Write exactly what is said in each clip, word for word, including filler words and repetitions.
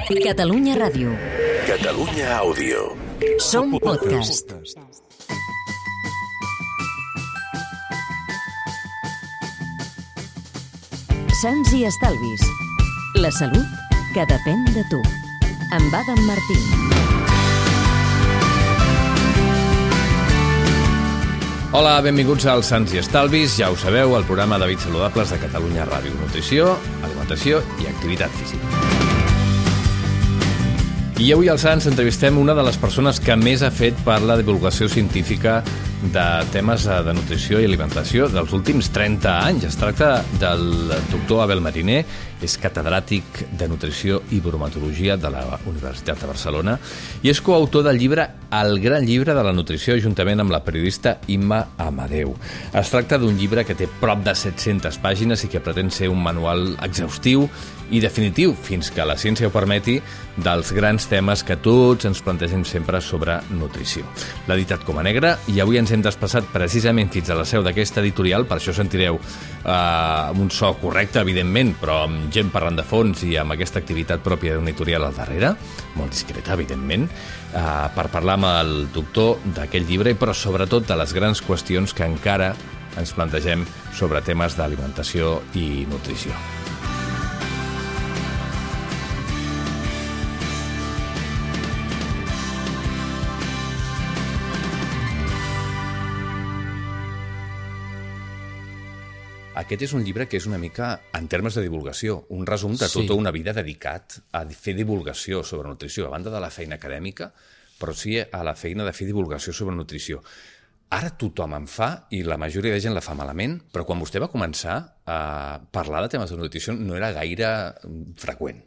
Catalunya Ràdio. Catalunya Àudio. Som podcast. Sants i estalvis. La salut que depèn de tu. Amb Adam Martín. Hola, benvinguts als Sants i Estalvis. Ja ho sabeu, el programa d'hàbits saludables de Catalunya Ràdio. Nutrició, alimentació i activitat física. I avui als Sants entrevistem una de les persones que més ha fet per la divulgació científica de temes de nutrició i alimentació dels últims trenta anys. Es tracta del doctor Abel Mariner, és catedràtic de nutrició i bromatologia de la Universitat de Barcelona i és coautor del llibre El gran llibre de la nutrició juntament amb la periodista Imma Amadeu. Es tracta d'un llibre que té prop de set-centes pàgines i que pretén ser un manual exhaustiu i definitiu, fins que la ciència ho permeti, dels grans temes que tots ens plantegem sempre sobre nutrició. L'ha editat com a negre i avui ens hem desplaçat precisament fins a la seu d'aquesta editorial, per això sentireu eh, amb un so correcte, evidentment, però amb gent parlant de fons i amb aquesta activitat pròpia d'una editorial al darrere, molt discreta, evidentment, eh, per parlar amb el doctor d'aquell llibre, però sobretot de les grans qüestions que encara ens plantegem sobre temes d'alimentació i nutrició. Aquest és un llibre que és una mica, en termes de divulgació, un resum de Sí. tota una vida dedicat a fer divulgació sobre nutrició, a banda de la feina acadèmica, però sí a la feina de fer divulgació sobre nutrició. Ara tothom en fa i la majoria de gent la fa malament, però quan vostè va començar a parlar de temes de nutrició no era gaire freqüent.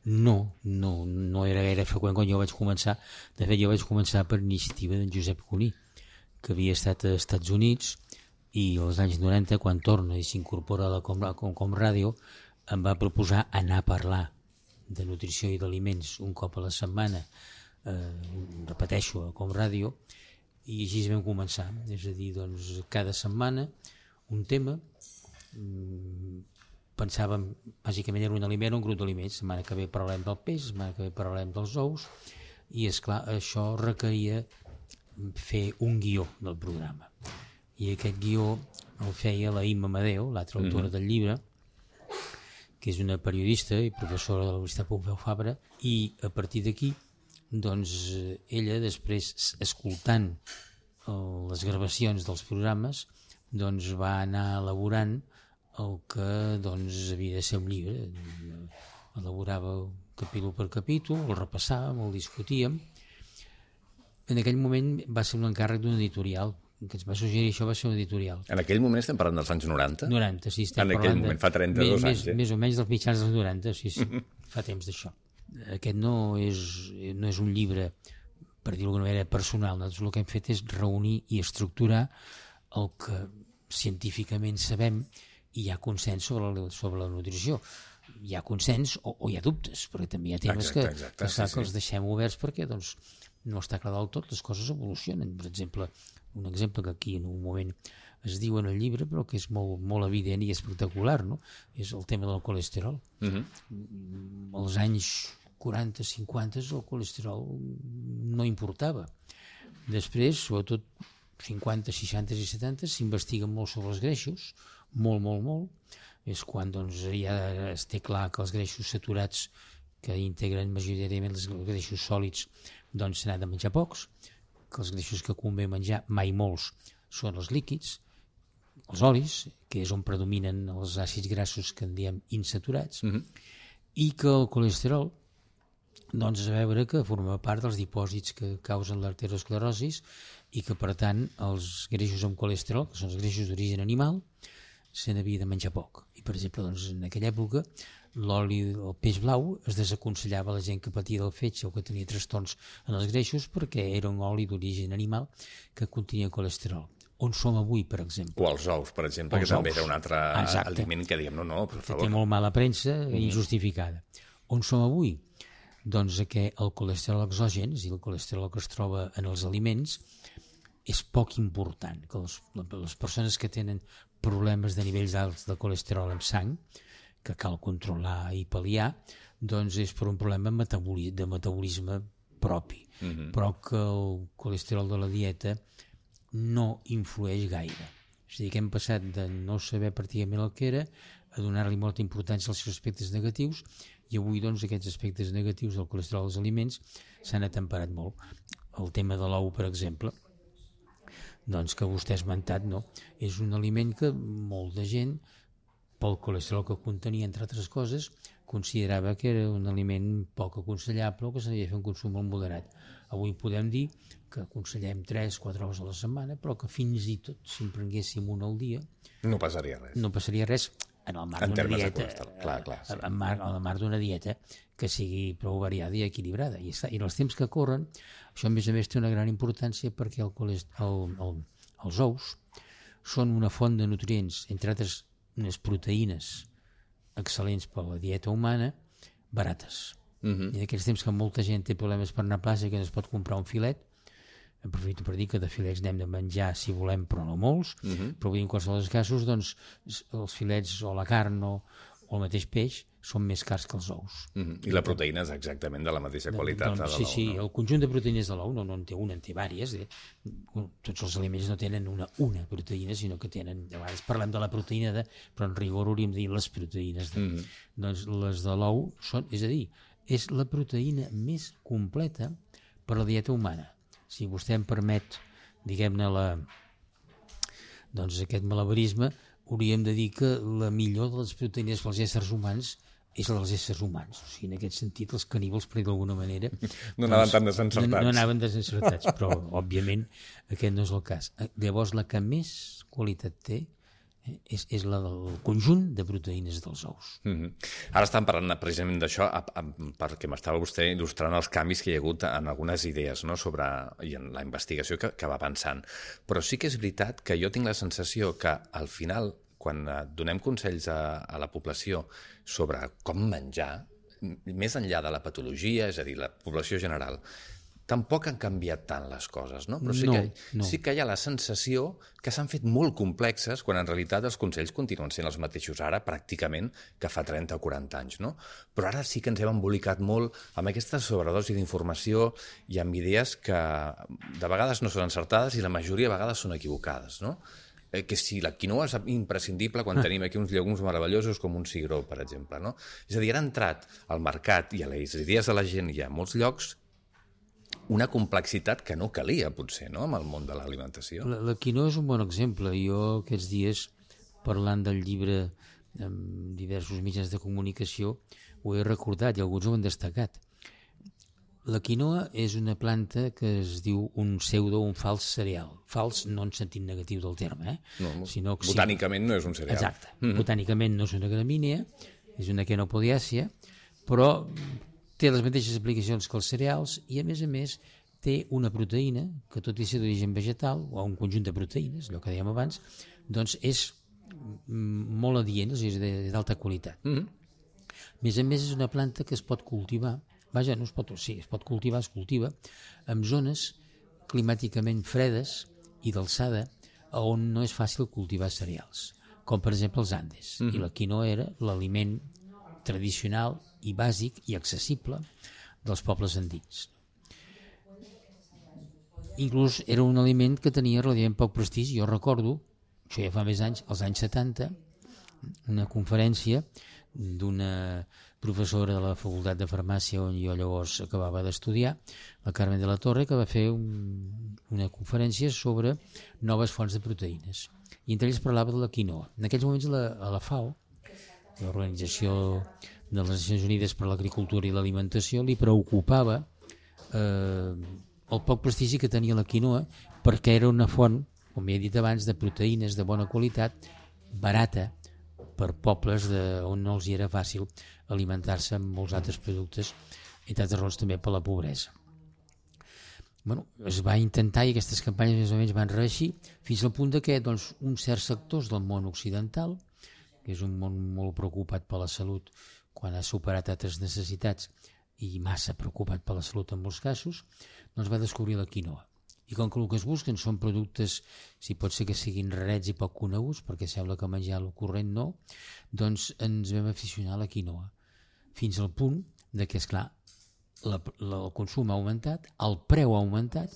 No, no, no era gaire freqüent quan jo vaig començar. De fet, jo vaig començar per iniciativa d'en Josep Cuní, que havia estat als Estats Units i als anys noranta, quan torna i s'incorpora a la Com, Com, Com Ràdio, em va proposar anar a parlar de nutrició i d'aliments un cop a la setmana, eh, repeteixo, a Com Ràdio, i així vam començar. És a dir, doncs, cada setmana un tema, mm, pensàvem, bàsicament era un aliment o un grup d'aliments. Setmana que ve parlem del peix, setmana que ve parlem dels ous, i és clar, això requeria fer un guió del programa. I aquest guió el feia la Imma Amadeu, l'altra autora mm-hmm. del llibre, que és una periodista i professora de la Universitat Pompeu Fabra, i a partir d'aquí, doncs, ella, després, escoltant el, les gravacions dels programes, doncs va anar elaborant el que doncs, havia de ser un llibre. Elaborava capítol per capítol, el repassàvem, el discutíem. En aquell moment va ser un encàrrec d'un editorial, que ens va suggerir això, va ser un editorial. En aquell moment estem parlant dels anys noranta? noranta, sí. En aquell moment, fa trenta-dos més, anys. Eh? Més o menys dels mitjans dels noranta, sí, sí. Fa temps d'això. Aquest no és, no és un llibre, per dir-ho d'alguna manera, personal. Nosaltres el que hem fet és reunir i estructurar el que científicament sabem i hi ha consens sobre la, sobre la nutrició. Hi ha consens o, o hi ha dubtes, perquè també hi ha temes exacte, que, exacte, que, sí, que els sí. deixem oberts perquè doncs, no està clar del tot, les coses evolucionen. Per exemple, un exemple que aquí en un moment es diu en el llibre, però que és molt, molt evident i espectacular, no? És el tema del colesterol. Uh-huh. Als anys quaranta, cinquanta, el colesterol no importava. Després, sobretot cinquanta, seixanta i setanta, s'investiguen molt sobre els greixos, molt, molt, molt. És quan doncs, ja es té clar que els greixos saturats, que integren majoritàriament els greixos sòlids, doncs se n'ha de menjar pocs, que els greixos que convé menjar, mai molts, són els líquids, els olis, que és on predominen els àcids grassos que en diem insaturats, mm-hmm. i que el colesterol, doncs a veure que forma part dels dipòsits que causen l'arteriosclerosi i que per tant els greixos amb colesterol, que són els greixos d'origen animal, se n'havia de menjar poc. I per exemple, doncs, en aquella època l'oli del peix blau es desaconsellava a la gent que patia del fetge o que tenia trastorns en els greixos perquè era un oli d'origen animal que contenia colesterol. On som avui, per exemple? O els ous, per exemple, els que ous. També era un altre Exacte. aliment que diem, no, no, per favor. Que té molt mala premsa mm. injustificada. On som avui? Doncs que el colesterol exògen, és a dir, el colesterol que es troba en els aliments, és poc important. Que les, les persones que tenen problemes de nivells alts de colesterol en sang, que cal controlar i pal·liar, doncs és per un problema metaboli- de metabolisme propi, uh-huh. però que el colesterol de la dieta no influeix gaire. És a dir, que hem passat de no saber pràcticament el que era a donar-li molta importància als seus aspectes negatius, i avui doncs aquests aspectes negatius del colesterol dels aliments s'han atemperat molt. El tema de l'ou, per exemple, doncs que vostè ha esmentat, no? És un aliment que molta gent, pel colesterol que contenia, entre altres coses, considerava que era un aliment poc aconsellable o que s'havia de fer un consum molt moderat. Avui podem dir que aconsellem tres quatre ous a la setmana, però que fins i tot si en prenguéssim un al dia no passaria res. No passaria res en el marc d'una dieta, clar, clar, sí. en, marc, en el marc d'una dieta que sigui prou variada i equilibrada. I, està, i en els temps que corren, això a més a més té una gran importància perquè el colest... el, el, els ous són una font de nutrients, entre altres unes proteïnes excel·lents per a la dieta humana, barates. Uh-huh. I en aquests temps que molta gent té problemes per anar a plaça i que no es pot comprar un filet, aprofito per dir que de filets n'hem de menjar si volem, però no molts, uh-huh. però vull dir, en qualsevol dels casos, doncs, els filets o la carn o, o el mateix peix són més cars que els ous. Uh-huh. I la proteïna és exactament de la mateixa qualitat doncs, de l'ou. Sí, sí, no? El conjunt de proteïnes de l'ou no, no en té una, en té vàries. Eh? Tots els aliments no tenen una, una proteïna, sinó que tenen, de vegades parlem de la proteïna de, però en rigor hauríem de dir les proteïnes de. Uh-huh. Doncs les de l'ou són, és a dir, és la proteïna més completa per a la dieta humana. Si vostè em permet, diguem-ne, la, doncs aquest malabarisme, hauríem de dir que la millor de les proteïnes pels éssers humans és la dels éssers humans. O sigui, en aquest sentit, els caníbals, per dir d'alguna manera... No anaven doncs, tan desencertats. No, no anaven desencertats, però, òbviament, aquest no és el cas. Llavors, la que més qualitat té eh, és, és la del conjunt de proteïnes dels ous. Mm-hmm. Ara estem parlant precisament d'això perquè m'estava vostè il·lustrant els canvis que hi ha hagut en algunes idees, no?, sobre, i en la investigació que, que va avançant. Però sí que és veritat que jo tinc la sensació que, al final, quan donem consells a, a la població sobre com menjar, més enllà de la patologia, és a dir, la població general, tampoc han canviat tant les coses, no? Però sí, no, que, no. sí que hi ha la sensació que s'han fet molt complexes quan en realitat els consells continuen sent els mateixos ara, pràcticament, que fa trenta o quaranta anys, no? Però ara sí que ens hem embolicat molt amb aquesta sobredosi d'informació i amb idees que de vegades no són encertades i la majoria de vegades són equivocades, no? Que si la quinoa és imprescindible quan tenim aquí uns llegums meravellosos com un cigró, per exemple, no? És a dir, ha entrat al mercat i a les idees de la gent i a molts llocs una complexitat que no calia, potser, no?, amb el món de l'alimentació. La, la quinoa és un bon exemple. Jo aquests dies, parlant del llibre amb diversos mitjans de comunicació, ho he recordat i alguns ho han destacat. La quinoa és una planta que es diu un pseudo, un fals cereal. Fals no en sentit negatiu del terme, eh? No, sinó que botànicament sí, no és un cereal. Exacte. Mm-hmm. Botànicament no és una gramínea, és una quenopodiàcia, però té les mateixes aplicacions que els cereals i, a més a més, té una proteïna que, tot i ser d'origen vegetal, o un conjunt de proteïnes, allò que dèiem abans, doncs és molt adient, és d'alta qualitat. Mm-hmm. A més a més, és una planta que es pot cultivar. Vaja, no es pot, sí, es pot cultivar, es cultiva en zones climàticament fredes i d'alçada on no és fàcil cultivar cereals, com per exemple els Andes. Mm-hmm. I la quinoa era l'aliment tradicional i bàsic i accessible dels pobles andins. Inclús era un aliment que tenia relativament poc prestigi. Jo recordo, això ja fa més anys, als anys setanta, una conferència d'una professora de la Facultat de Farmàcia on jo llavors acabava d'estudiar, la Carmen de la Torre, que va fer un, una conferència sobre noves fonts de proteïnes. I entre ells parlava de la quinoa. En aquells moments la, a la FAO, l'Organització de les Nacions Unides per a l'Agricultura i l'Alimentació, li preocupava eh, el poc prestigi que tenia la quinoa perquè era una font, com ja he dit abans, de proteïnes de bona qualitat, barata, per pobles de, on no els hi era fàcil alimentar-se amb molts altres productes, entre altres raons també per la pobresa. Bueno, es va intentar i aquestes campanyes més o menys van reeixir fins al punt de que doncs, uns certs sectors del món occidental, que és un món molt preocupat per la salut quan ha superat altres necessitats i massa preocupat per la salut en molts casos, doncs va descobrir la quinoa. I com que el que es busquen són productes, si pot ser que siguin rarets i poc coneguts, perquè sembla que menjar el corrent no, doncs ens vam aficionar a la quinoa. Fins al punt de que, esclar, la, la, el consum ha augmentat, el preu ha augmentat,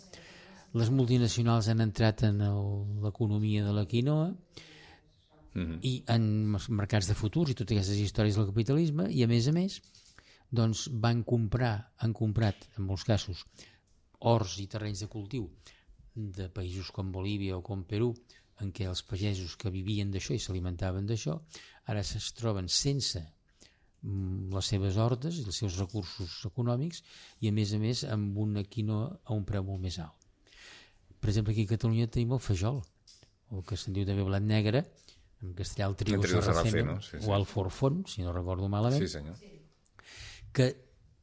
les multinacionals han entrat en l'economia de la quinoa mm-hmm. i en els mercats de futurs i totes aquestes històries del capitalisme, i a més a més doncs van comprar, han comprat en molts casos horts i terrenys de cultiu de països com Bolívia o com Perú, en què els pagesos que vivien d'això i s'alimentaven d'això, ara es troben sense les seves hortes i els seus recursos econòmics i a més a més amb una quinoa a un preu molt més alt. Per exemple, aquí a Catalunya tenim el fajol, el que se'n diu també blat negre, en castellà el trigo sarraceno, no? sí, sí. o el forfón, si no recordo malament, sí, senyor. que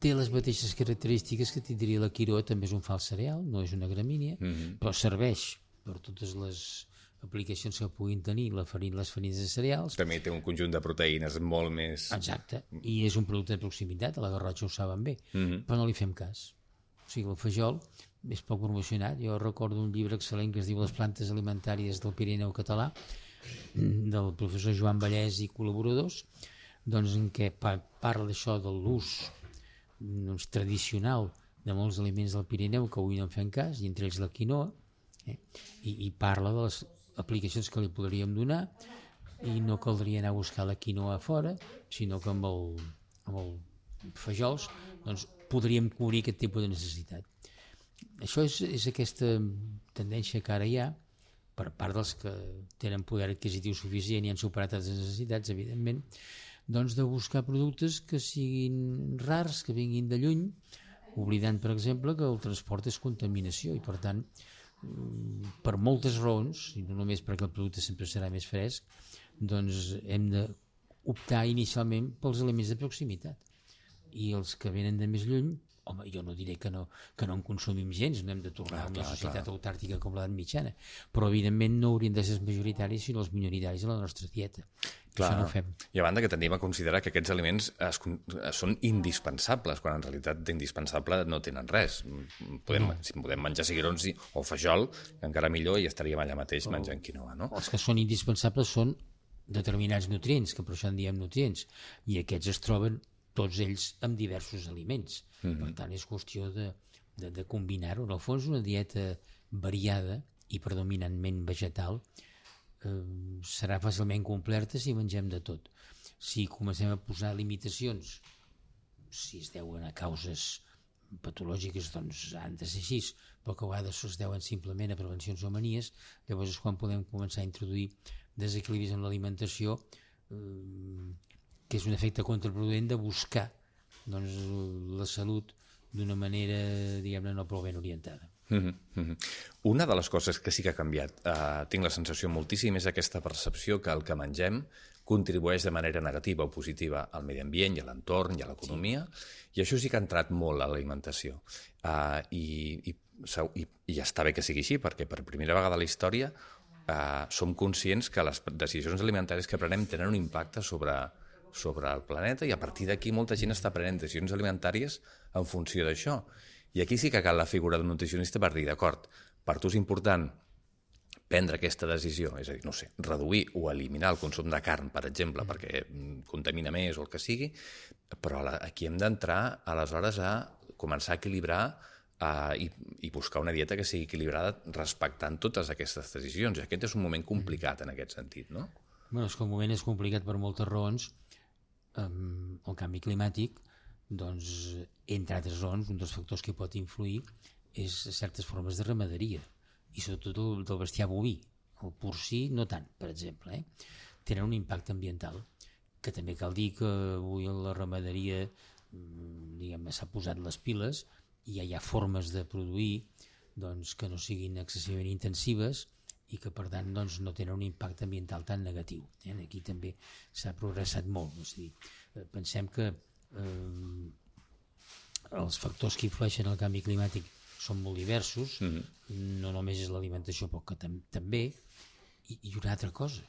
té les mateixes característiques que tindria la quinoa, també és un fals cereal, no és una gramínia, mm-hmm. però serveix per totes les aplicacions que puguin tenir la farina, les farines de cereals. També té un conjunt de proteïnes molt més... Exacte, i és un producte de proximitat, a la Garrotxa ho saben bé, mm-hmm. però no li fem cas. O sigui, el fajol és poc promocionat. Jo recordo un llibre excel·lent que es diu Les plantes alimentàries del Pirineu català, del professor Joan Vallès i col·laboradors, doncs en què parla d'això de l'ús doncs, tradicional de molts aliments del Pirineu que avui no en fem cas, i entre ells la quinoa, eh? I, i parla de les aplicacions que li podríem donar, i no caldria anar a buscar la quinoa a fora, sinó que amb el, amb el fajols doncs, podríem cobrir aquest tipus de necessitat. Això és, és aquesta tendència que ara hi ha per part dels que tenen poder adquisitiu suficient i han superat les necessitats, evidentment, doncs de buscar productes que siguin rars, que vinguin de lluny, oblidant, per exemple, que el transport és contaminació i, per tant, per moltes raons, i no només perquè el producte sempre serà més fresc, doncs hem d'optar inicialment pels aliments de proximitat. I els que venen de més lluny, home, jo no diré que no, que no en consumim gens, no hem de tornar a una societat autàrtica com l'edat mitjana, però evidentment no haurien de ser els majoritaris sinó els minoritaris a la nostra dieta. Clar, això no ho fem. I a banda que tendim a considerar que aquests aliments es, es són indispensables, quan en realitat d'indispensable no tenen res. Podem, no. Si podem menjar cigrons o fajol, encara millor, i estaríem allà mateix oh. menjant quinoa, no? Els que són indispensables són determinats nutrients, que per això en diem nutrients, i aquests es troben tots ells amb diversos aliments. Mm-hmm. Per tant, és qüestió de, de, de combinar-ho. En el fons, una dieta variada i predominantment vegetal eh, serà fàcilment completa si mengem de tot. Si comencem a posar limitacions, si es deuen a causes patològiques, doncs han de ser així, però que a vegades es deuen simplement a prevencions o manies, llavors és quan podem començar a introduir desequilibris en l'alimentació, eh, que és un efecte contraproduent de buscar doncs, la salut d'una manera, diguem-ne, no prou ben orientada. Mm-hmm, mm-hmm. Una de les coses que sí que ha canviat, eh, tinc la sensació moltíssim, és aquesta percepció que el que mengem contribueix de manera negativa o positiva al medi ambient i a l'entorn i a l'economia, sí. I això sí que ha entrat molt a l'alimentació. Uh, i, i, i, I està bé que sigui així, perquè per primera vegada a la història uh, som conscients que les decisions alimentàries que prenem tenen un impacte sobre... sobre el planeta, i a partir d'aquí molta gent està prenent decisions alimentàries en funció d'això. I aquí sí que cal la figura del nutricionista per dir, d'acord, per tu és important prendre aquesta decisió, és a dir, no sé, reduir o eliminar el consum de carn, per exemple, perquè contamina més o el que sigui, però aquí hem d'entrar aleshores a començar a equilibrar uh, i, i buscar una dieta que sigui equilibrada respectant totes aquestes decisions. I aquest és un moment complicat en aquest sentit, no? Bueno, és que el moment és complicat per moltes raons. Um, el canvi climàtic, doncs, entre altres raons, un dels factors que pot influir és certes formes de ramaderia, i sobretot el del bestiar boví. El porcí no tant, per exemple. Eh? Tenen un impacte ambiental, que també cal dir que avui la ramaderia diguem-ne s'ha posat les piles i ja hi ha formes de produir doncs, que no siguin excessivament intensives i que per tant doncs, no tenen un impacte ambiental tan negatiu. Eh? Aquí també s'ha progressat molt. És a dir, pensem que eh, els factors que influeixen el canvi climàtic són molt diversos, mm-hmm. no només és l'alimentació, però que tam també, i, i una altra cosa,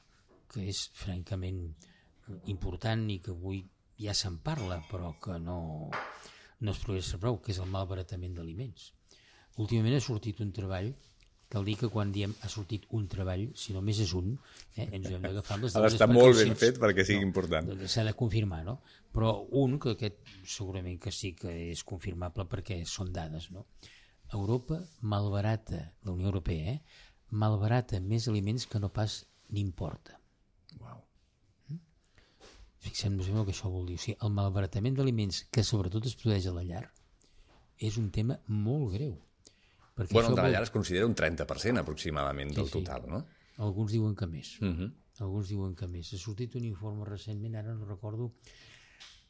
que és francament important i que avui ja se'n parla, però que no, no es progressa prou, que és el malbaratament d'aliments. Últimament ha sortit un treball cal dir que quan diem ha sortit un treball, si només és un, eh, ens hem d'agafar les Ha d'estar molt ben fet perquè sigui no, important. S'ha de confirmar, no? Però un, que aquest segurament que sí que és confirmable perquè són dades, no? Europa malbarata, la Unió Europea, eh? malbarata més aliments que no pas n'importa. Uau. Mm? Fixem-nos en el que això vol dir. O sigui, el malbaratament d'aliments que sobretot es produeix a la llar és un tema molt greu. Perquè Bueno, de la vol... llar es considera un trenta per cent aproximadament del Sí, sí. total, no? Alguns diuen que més. Uh -huh. Alguns diuen que més. Ha sortit un informe recentment, ara no recordo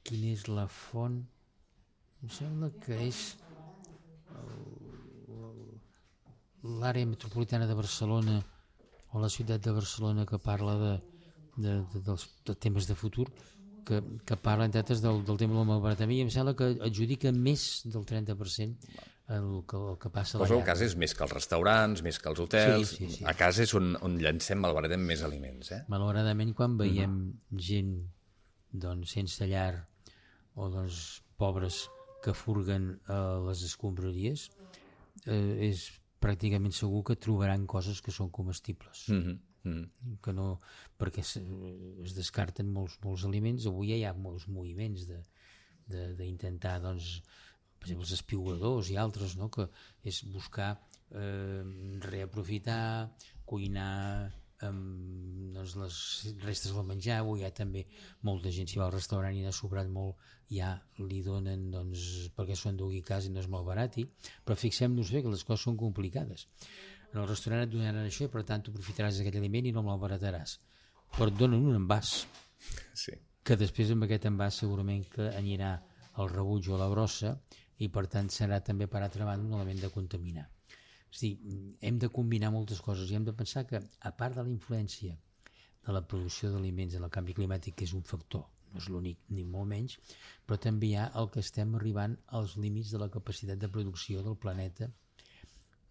quina és la font. Em sembla que és l'àrea metropolitana de Barcelona o la ciutat de Barcelona que parla de, de, de, dels, de temes de futur, que, que parla, entre altres, del, del tema del malbaratament, i em sembla que adjudica més del trenta per cent el que, el que passa a la Però llar. a casa és més que els restaurants, més que els hotels. Sí, sí, sí. A casa és on, on llancem, malbaratem més aliments, eh? Malauradament, quan veiem mm. gent doncs, sense llar o doncs, pobres que furguen a les escombraries, eh, és pràcticament segur que trobaran coses que són comestibles. Mm -hmm. Mm. Que no, perquè es, es descarten molts, molts aliments. Avui hi ha molts moviments d'intentar, doncs, per exemple, els espiugadors i altres, no? Que és buscar eh, reaprofitar, cuinar amb doncs, les restes del menjar. Avui hi ha també molta gent, si va al restaurant i n'ha sobrat molt, ja li donen, doncs, perquè s'ho endugui a casa i no és molt barati. Però fixem-nos bé que les coses són complicades. En el restaurant et donaran això i per tant tu aprofitaràs d'aquell aliment i no me'l barataràs, però et donen un envàs Sí. que després amb aquest envàs segurament que anirà al rebuig o a la brossa i per tant serà també per altra banda un element de contaminar. És a dir, hem de combinar moltes coses i hem de pensar que a part de la influència de la producció d'aliments en el canvi climàtic, que és un factor, no és l'únic ni molt menys, però també hi ha el que estem arribant als límits de la capacitat de producció del planeta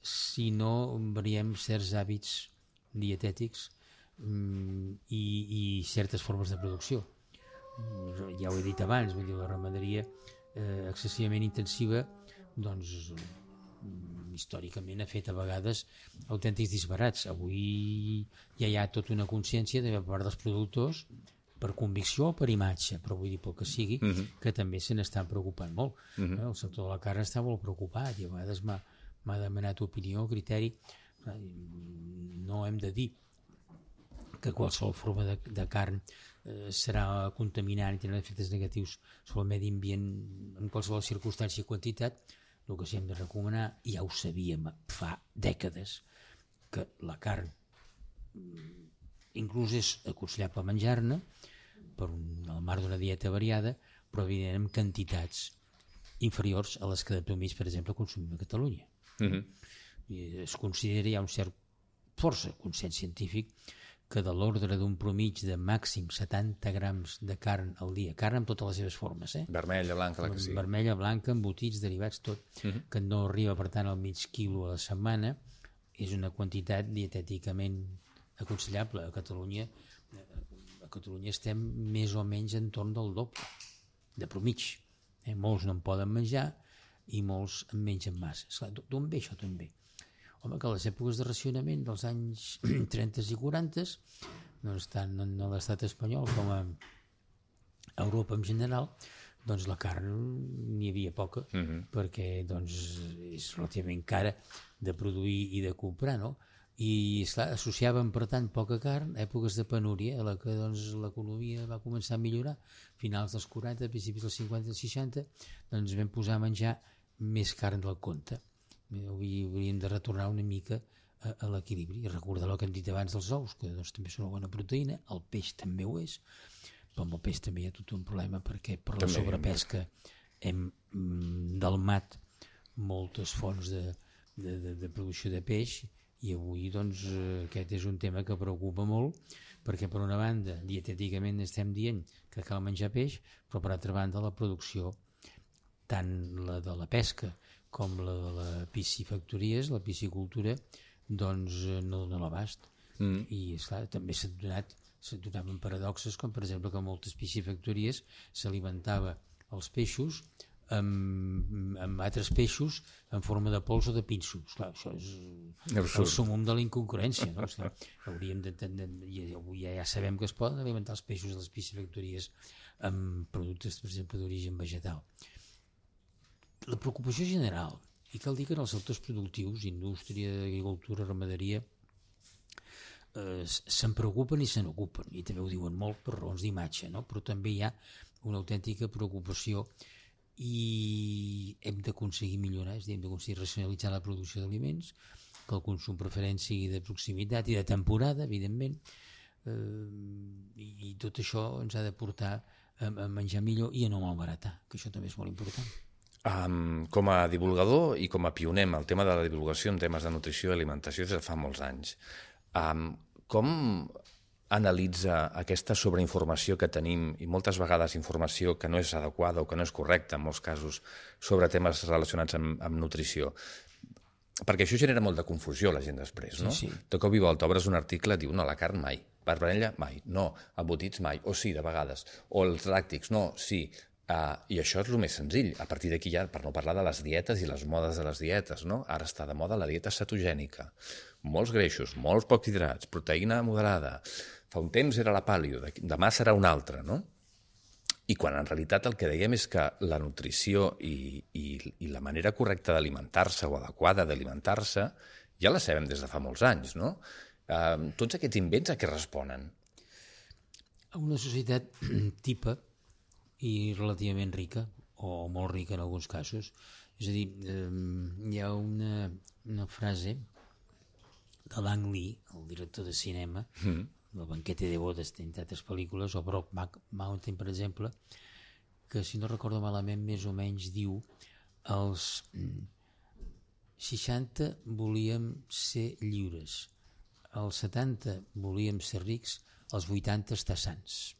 si no variem certs hàbits dietètics mm, i, i certes formes de producció. Ja ho he dit abans, vull dir, la ramaderia eh, excessivament intensiva, doncs històricament ha fet a vegades autèntics disbarats. Avui ja hi ha tota una consciència de part dels productors, per convicció o per imatge, però vull dir pel que sigui, uh -huh. que també se n'estan preocupant molt. Uh -huh. El sector de la carn està molt preocupat i a vegades m'ha m'ha demanat opinió, criteri. No hem de dir que qualsevol forma de, de carn eh, serà contaminant i tindrà efectes negatius sobre el medi ambient en qualsevol circumstància i quantitat. El que sí hem de recomanar, ja ho sabíem fa dècades, que la carn inclús és aconsellable menjar-ne per un, al marc d'una dieta variada, però evidentment en quantitats inferiors a les que de promís, per exemple, consumim a Catalunya. Uh-huh. I es considera, hi ha un cert força consens científic que de l'ordre d'un promig de màxim setanta grams de carn al dia, carn amb totes les seves formes, eh? Vermella, blanca, la que sigui. Vermella, blanca, embotits, derivats, tot, uh-huh. que no arriba, per tant, al mig quilo a la setmana, és una quantitat dietèticament aconsellable. A Catalunya, a Catalunya estem més o menys en torn del doble de promig. Eh? Molts no en poden menjar i molts en mengen massa. D'on ve això també? Home, que a les èpoques de racionament dels anys trenta i quaranta, doncs tant en l'estat espanyol com a Europa en general, doncs la carn n'hi havia poca, uh-huh. perquè doncs, és relativament cara de produir i de comprar, no? I esclar, associaven per tant poca carn a èpoques de penúria, a la que doncs, l'economia va començar a millorar, finals dels quaranta, principis dels cinquanta i seixanta, doncs vam posar a menjar més carn del compte. Avui hauríem de retornar una mica a, a l'equilibri i recordar el que hem dit abans dels ous, que doncs, també són una bona proteïna, el peix també ho és, però amb el peix també hi ha tot un problema perquè per la sobrepesca hem mm, delmat moltes fonts de, de, de, de producció de peix i avui doncs aquest és un tema que preocupa molt perquè per una banda dietèticament estem dient que cal menjar peix, però per altra banda la producció, tant la de la pesca com la de la piscifactories, la piscicultura, doncs no dona l'abast. Mm. I esclar, també s'ha donat s'ha donaven paradoxes com per exemple que moltes piscifactories s'alimentava els peixos amb, amb altres peixos en forma de pols o de pinsos. Clar, això és Absurd. el sumum de la inconcurrència, no? Esclar, hauríem de, de, de, ja, ja, ja sabem que es poden alimentar els peixos de les piscifactories amb productes, per exemple, d'origen vegetal. La preocupació general, i cal dir que en els sectors productius, indústria, agricultura, ramaderia, eh, se'n preocupen i se n'ocupen, i també ho diuen molt per raons d'imatge, no? Però també hi ha una autèntica preocupació i hem d'aconseguir millorar, és a dir, hem d'aconseguir racionalitzar la producció d'aliments, que el consum preferent sigui de proximitat i de temporada, evidentment, eh, i, i tot això ens ha de portar a, a menjar millor i a no malbaratar, que això també és molt important. Um, com a divulgador i com a pioner en el tema de la divulgació en temes de nutrició i alimentació des de fa molts anys, um, com analitza aquesta sobreinformació que tenim i moltes vegades informació que no és adequada o que no és correcta en molts casos sobre temes relacionats amb, amb nutrició? Perquè això genera molt de confusió a la gent després, no? Sí, sí. De cop i volta obres un article, diu, no, la carn mai, vermella mai, no, embotits mai, o sí, de vegades, o els làctics, no, sí. Uh, I això és el més senzill. A partir d'aquí ja, per no parlar de les dietes i les modes de les dietes, no? Ara està de moda la dieta cetogènica. Molts greixos, molts pocs hidrats, proteïna moderada. Fa un temps era la paleo, demà serà una altra, no? I quan en realitat el que dèiem és que la nutrició i, i, i la manera correcta d'alimentar-se o adequada d'alimentar-se ja la sabem des de fa molts anys, no? Uh, tots aquests invents a què responen? A una societat tipa i relativament rica, o molt rica en alguns casos. És a dir, eh, hi ha una, una frase de Lang Lee, el director de cinema, mm. el Banquete de bodes, entre altres pel·lícules, o Brokeback Mountain, per exemple, que, si no recordo malament, més o menys diu els seixanta volíem ser lliures, els setanta volíem ser rics, els vuitanta estar sants.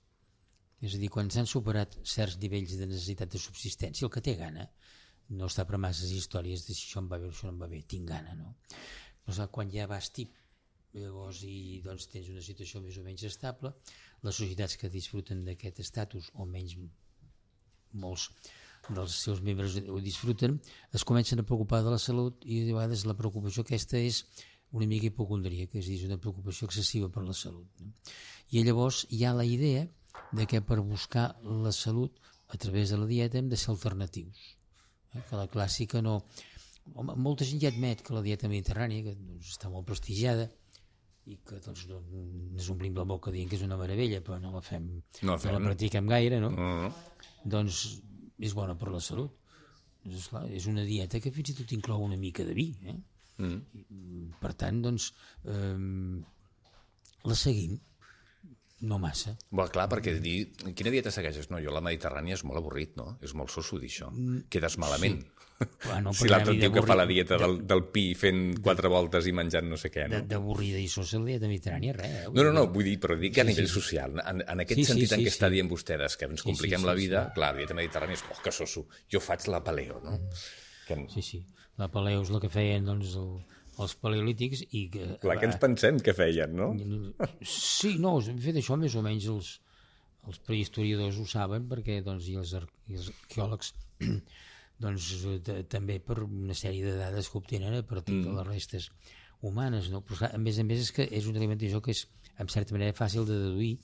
És a dir, quan s'han superat certs nivells de necessitat de subsistència, el que té gana no està per masses històries de si això em va bé o això no em va bé, tinc gana, no? Però quan ja vas tip, llavors, i doncs tens una situació més o menys estable, les societats que disfruten d'aquest estatus, o menys molts dels seus membres ho disfruten, es comencen a preocupar de la salut, i a vegades la preocupació aquesta és una mica hipocondríaca, és a dir, és una preocupació excessiva per la salut, no? I llavors hi ha la idea de que per buscar la salut a través de la dieta hem de ser alternatius, eh? Que la clàssica no... Home, molta gent ja admet que la dieta mediterrània, que doncs, està molt prestigiada i que doncs, no, ens omplim la boca dient que és una meravella, però no la fem, no, fem. no la practiquem gaire, no? Uh-huh. Doncs és bona per la salut. És, clar, és una dieta que fins i tot inclou una mica de vi, eh? Uh-huh. Per tant, doncs eh, la seguim. No massa. Bé, clar, perquè dir, quina dieta segueixes? No, jo la mediterrània és molt avorrit, no? És molt soso dir això. Quedes malament. Sí. Ah, no, si l'altre tio que fa la dieta del, del pi fent quatre voltes i menjant no sé què, no? D'avorrida i sosa la dieta mediterrània, res. Eh? No, no, no, vull dir, però dic que a nivell sí, sí. social, en, en aquest sí, sentit sí, sí, en què sí. està dient vostè, que ens compliquem sí, sí, sí, la vida, sí. Clar, la dieta mediterrània és, oh, que soso, jo faig la paleo, no? Mm. Que... Sí, sí, la paleo és el que feien, doncs, el... els paleolítics i que... Clar que ens pensem que feien, no? Sí, no, hem fet això més o menys els, els prehistoriadors ho saben perquè doncs, i, els, i els arqueòlegs doncs, de, també per una sèrie de dades que obtenen a partir mm. de les restes humanes, no? Però a més a més és que és una alimentació que és en certa manera fàcil de deduir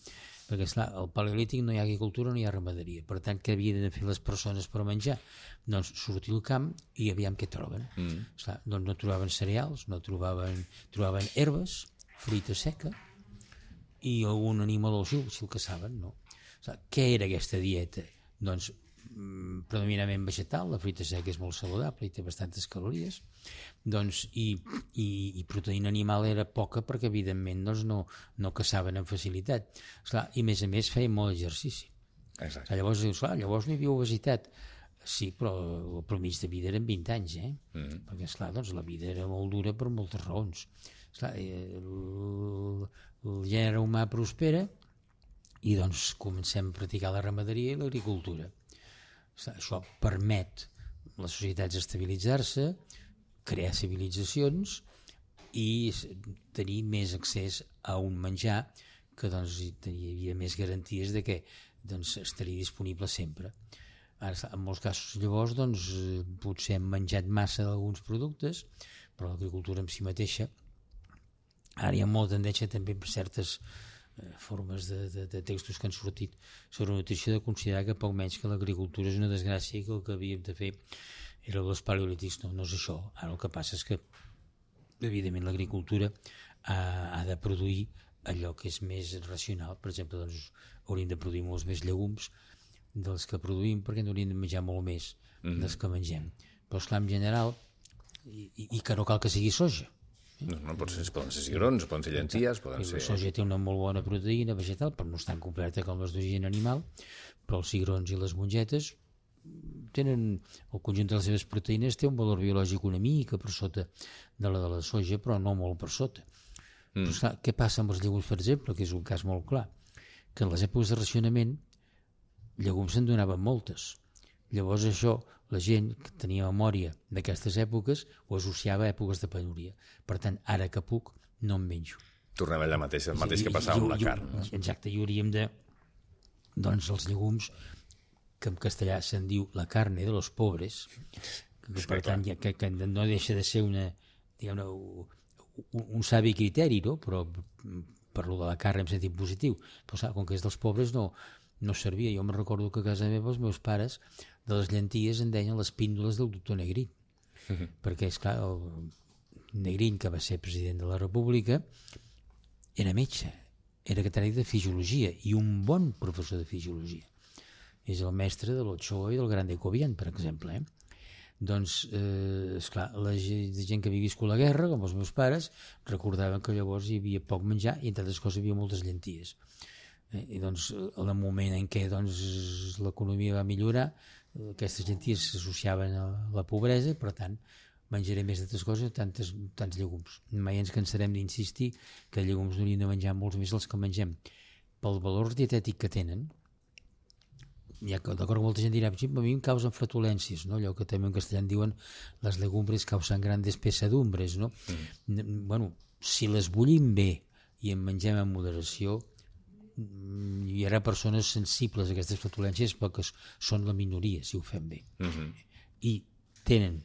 perquè esclar, al paleolític no hi ha agricultura, no hi ha ramaderia, per tant què havien de fer les persones per menjar? Doncs sortir al camp i aviam què troben. Mm. Esclar, doncs no trobaven cereals, no trobaven, trobaven herbes, fruita seca i algun animal o si, si el caçaven, no? Esclar, què era aquesta dieta? Doncs mm, predominantment vegetal, la fruita seca és molt saludable i té bastantes calories, doncs, i, i, i proteïna animal era poca perquè evidentment doncs, no, no caçaven amb facilitat. Esclar, i a més a més feien molt exercici. Exacte. Llavors dius, clar, llavors no hi havia obesitat. Sí, però el promís de vida eren vint anys, eh? Mm. Perquè, esclar, doncs, la vida era molt dura per moltes raons. Esclar, el, el gènere humà prospera i doncs comencem a practicar la ramaderia i l'agricultura. Esclar, això permet a les societats estabilitzar-se, crear civilitzacions i tenir més accés a un menjar que doncs, hi havia més garanties de que doncs, estaria disponible sempre. Ara, en molts casos, llavors, doncs, potser hem menjat massa d'alguns productes, però l'agricultura en si mateixa, ara hi ha molta tendència també per certes eh, formes de, de, de textos que han sortit sobre nutrició de considerar que poc menys que l'agricultura és una desgràcia i que el que havíem de fer era els paleolítics. No, no és això. Ara el que passa és que, evidentment, l'agricultura ha, ha de produir allò que és més racional. Per exemple, doncs, hauríem de produir molts més llegums dels que produïm, perquè n'hauríem de menjar molt més mm-hmm. dels que mengem. Però, esclar, en general, i, i que no cal que sigui soja. No, no, pot ser, poden ser cigrons, poden ser llenties, poden ser... La soja té una molt bona proteïna vegetal, però no és tan completa com les d'origen animal, però els cigrons i les mongetes tenen, el conjunt de les seves proteïnes té un valor biològic una mica per sota de la de la soja, però no molt per sota. Mm. Però, esclar, què passa amb els llegums, per exemple, que és un cas molt clar, que en les èpoques de racionament llegums se'n donaven moltes. Llavors això, la gent que tenia memòria d'aquestes èpoques ho associava a èpoques de penúria. Per tant, ara que puc, no en menjo. Tornem allà mateix, el mateix que passava amb la carn. No? Exacte, i hauríem de... Doncs els llegums, que en castellà se'n diu la carne de los pobres, que, sí, per tant, ja, que, que no deixa de ser una, diguem-ne, un, un savi criteri, no? Però parlo de la carn en sentit positiu. Però, saps, com que és dels pobres, no... no servia. Jo me'n recordo que a casa meva els meus pares de les llenties en deien les píndoles del doctor Negrín. Uh-huh. Perquè, esclar, el Negrín, que va ser president de la República, era metge, era catedràtic de fisiologia i un bon professor de fisiologia. És el mestre de l'Ochoa i del Grande Cobian, per exemple. Eh? Doncs, eh, esclar, la gent que havia viscut la guerra, com els meus pares, recordaven que llavors hi havia poc menjar i, entre altres coses, hi havia moltes llenties. I doncs, en el moment en què doncs, l'economia va millorar, aquestes llenties s'associaven a la pobresa, per tant, menjaré més d'altres coses, tantes, tants llegums. Mai ens cansarem d'insistir que llegums n'hauríem de menjar molts més dels que mengem. Pel valor dietètic que tenen, ja que d'acord molta gent dirà, a mi em causen flatulències, no? Allò que també en castellà en diuen les legumbres causen grandes pesadumbres, no? Mm. Bueno, si les bullim bé i en mengem en moderació, hi haurà persones sensibles a aquestes flatulències, però que són la minoria si ho fem bé. Uh-huh. I tenen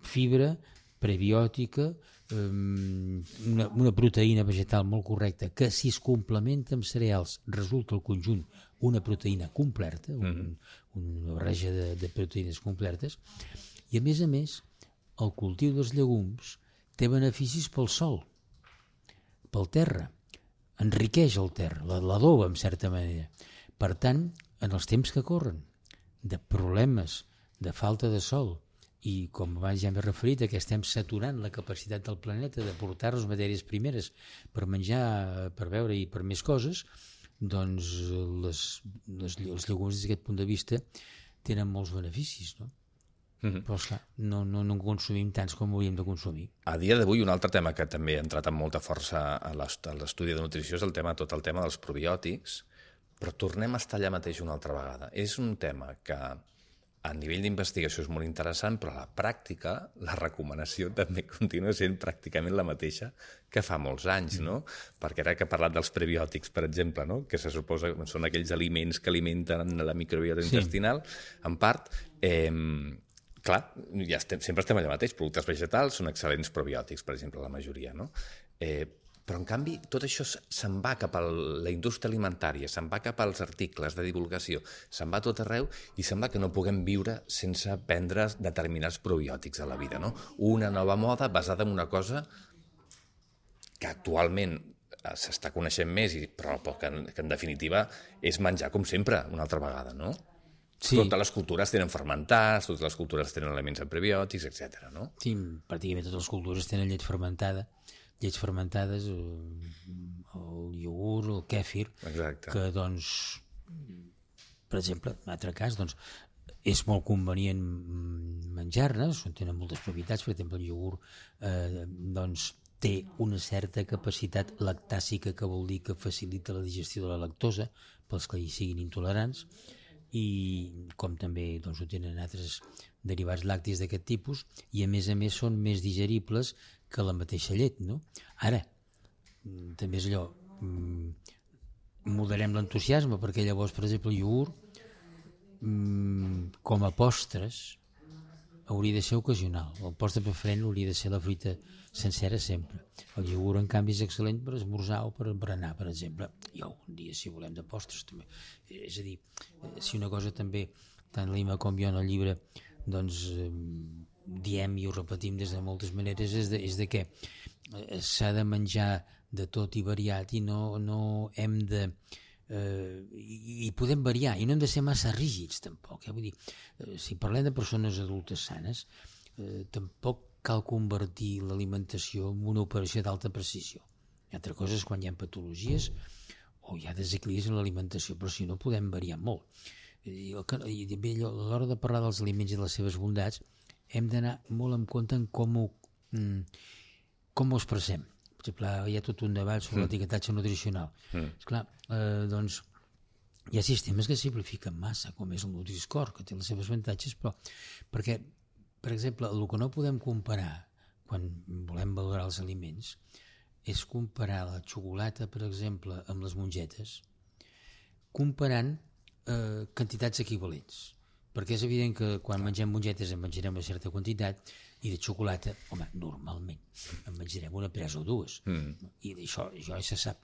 fibra prebiòtica, um, una, una proteïna vegetal molt correcta, que si es complementa amb cereals resulta el conjunt una proteïna completa, un, uh-huh. una barreja de, de proteïnes completes, i a més a més el cultiu dels llegums té beneficis pel sol, pel terra, enriqueix el terra, l'adoba en certa manera. Per tant, en els temps que corren de problemes, de falta de sol, i com abans ja m'he referit, que estem saturant la capacitat del planeta de portar-nos matèries primeres per menjar, per beure i per més coses, doncs les, les, els llegums des d'aquest punt de vista tenen molts beneficis, no? Mm-hmm. Però esclar, no, no, no en consumim tants com hauríem de consumir. A dia d'avui un altre tema que també ha entrat amb molta força a l'estudi de nutrició és el tema, tot el tema dels probiòtics, però tornem a estar allà mateix una altra vegada. És un tema que a nivell d'investigació és molt interessant, però a la pràctica la recomanació també continua sent pràcticament la mateixa que fa molts anys, no? Perquè ara que he parlat dels prebiòtics, per exemple, no? Que se suposa que són aquells aliments que alimenten la microbiota sí. intestinal, en part... Eh, clar, ja estem, sempre estem allà mateix. Productes vegetals són excel·lents probiòtics, per exemple, la majoria, no? Eh, però, en canvi, tot això se'n va cap a la indústria alimentària, se'n va cap als articles de divulgació, se'n va tot arreu i sembla que no puguem viure sense prendre determinats probiòtics a la vida, no? Una nova moda basada en una cosa que actualment s'està coneixent més, però que en, que en definitiva és menjar com sempre, una altra vegada, no? Sí. Totes les cultures tenen fermentats, totes les cultures tenen elements en prebiòtics, etcètera, no? Sí, pràcticament totes les cultures tenen llet fermentada, llets fermentades, el iogurt, el kèfir, exacte. Que doncs, per exemple, en un altre cas, doncs, és molt convenient menjar-ne, tenen moltes propietats, per exemple, el iogurt eh, doncs, té una certa capacitat lactàcica, que vol dir que facilita la digestió de la lactosa pels que hi siguin intolerants, i com també doncs, ho tenen altres derivats làctics d'aquest tipus, i a més a més són més digeribles que la mateixa llet, no? Ara, també és allò, moderem l'entusiasme, perquè llavors, per exemple, el iogurt mm, com a postres hauria de ser ocasional. El postre preferent hauria de ser la fruita sencera sempre. El iogurt, en canvi, és excel·lent per esmorzar o per berenar, per exemple. I algun dia, si volem, de postres també. És a dir, si una cosa també, tant l'Ima com jo en el llibre, doncs eh, diem i ho repetim des de moltes maneres, és de, és de què s'ha de menjar de tot i variat i no, no hem de... Eh, i, i podem variar i no hem de ser massa rígids tampoc, eh? Vull dir, eh, si parlem de persones adultes sanes, eh, tampoc cal convertir l'alimentació en una operació d'alta precisió. Altra cosa és quan hi ha patologies o hi ha desequilibris en l'alimentació, però si no podem variar molt. I, el, i bé, a l'hora de parlar dels aliments i de les seves bondats hem d'anar molt en compte en com ho, com ho expressem. Per exemple, hi ha tot un debat sobre mm. l'etiquetatge nutricional. Mm. Esclar, eh, doncs, hi ha sistemes que simplifiquen massa, com és el Nutri-Score, que té les seves avantatges, però perquè, per exemple, el que no podem comparar quan volem valorar els aliments és comparar la xocolata, per exemple, amb les mongetes, comparant eh, quantitats equivalents. Perquè és evident que quan mengem mongetes en menjarem una certa quantitat i de xocolata, home, normalment en menjarem una presa o dues. Mm. I d'això ja se sap.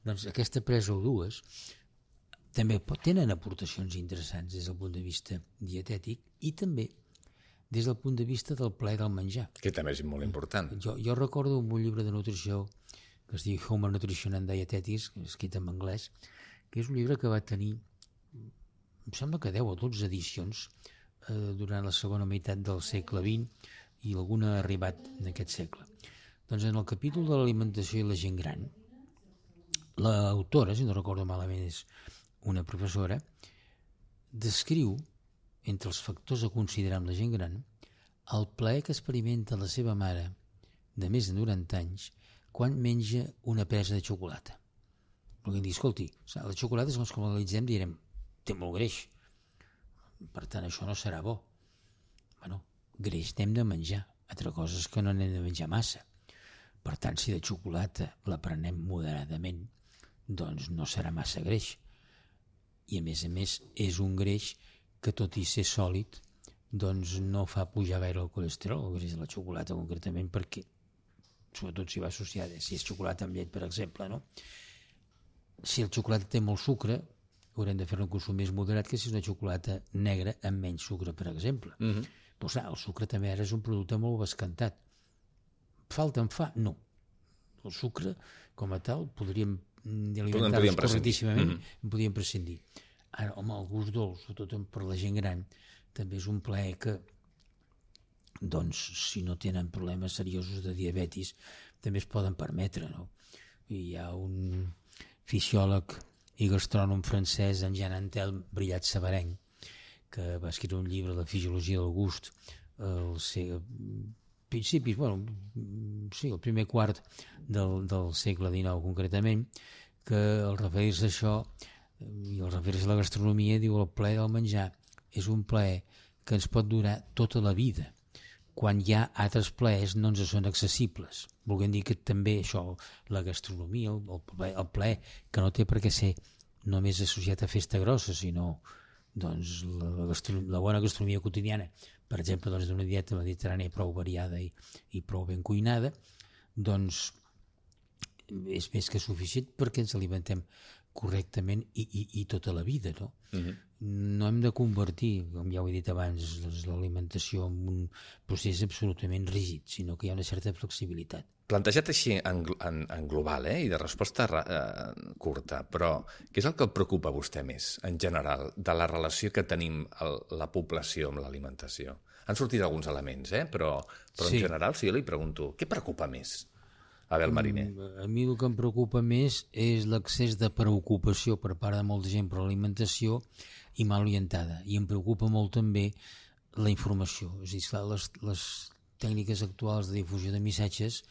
Doncs aquesta presa o dues també tenen aportacions interessants des del punt de vista dietètic i també des del punt de vista del plaer del menjar. Que també és molt important. Jo, jo recordo un llibre de nutrició que es diu Human Nutrition and Dietetics, escrit en anglès, que és un llibre que va tenir, em sembla que deu o dotze edicions eh, durant la segona meitat del segle vint i alguna ha arribat en aquest segle. Doncs en el capítol de l'alimentació i la gent gran, l'autora, si no recordo malament és una professora, descriu, entre els factors a considerar amb la gent gran, el plaer que experimenta la seva mare de més de noranta anys quan menja una presa de xocolata. Perquè dir, escolti, la xocolata, segons com l'analitzem, direm, té molt greix, per tant això no serà bo. Bueno, greix n'hem de menjar, altra cosa és que no n'hem de menjar massa. Per tant, si de xocolata la prenem moderadament, doncs no serà massa greix. I a més a més és un greix que tot i ser sòlid doncs no fa pujar gaire el colesterol, el greix de la xocolata concretament, perquè sobretot si va associada, si és xocolata amb llet, per exemple, no? Si el xocolata té molt sucre, haurem de fer un consum més moderat que si és una xocolata negra amb menys sucre, per exemple. Mm-hmm. Però clar, el sucre també ara és un producte molt bescantat. Falta en fa? No. El sucre, com a tal, podríem alimentar-nos correctíssimament, mm-hmm. en podríem prescindir. Ara, home, el gust dolç, sobretot per la gent gran, també és un plaer que, doncs, si no tenen problemes seriosos de diabetis, també es poden permetre, no? I hi ha un fisiòleg i gastrònom francès, en Jean Antel Brillat Sabarenc, que va escriure un llibre, La fisiologia del gust, al principis, bueno, sí, el primer quart del, del segle dinou concretament, que al referir-se a això i al referir-se a la gastronomia diu el plaer del menjar és un plaer que ens pot durar tota la vida, quan hi ha altres plaers no ens són accessibles. Volguem dir que també això, la gastronomia, el plaer, el plaer que no té per què ser només associat a festa grossa, sinó doncs, la, la, la bona gastronomia quotidiana, per exemple, doncs, d'una dieta mediterrània prou variada i, i prou ben cuinada, doncs és més que suficient perquè ens alimentem correctament i, i, i tota la vida, no? Uh-huh. No hem de convertir, com ja ho he dit abans, l'alimentació en un procés absolutament rígid, sinó que hi ha una certa flexibilitat. Plantejat així en, en, en global, eh, i de resposta eh, curta, però què és el que el preocupa a vostè més, en general, de la relació que tenim el, la població amb l'alimentació? Han sortit alguns elements, eh, però, però sí. En general, si jo li pregunto, què preocupa més? Abel Mariner. A mi el que em preocupa més és l'excés de preocupació per part de molta gent per l'alimentació i mal orientada. I em preocupa molt també la informació. És a dir, clar, les, les tècniques actuals de difusió de missatges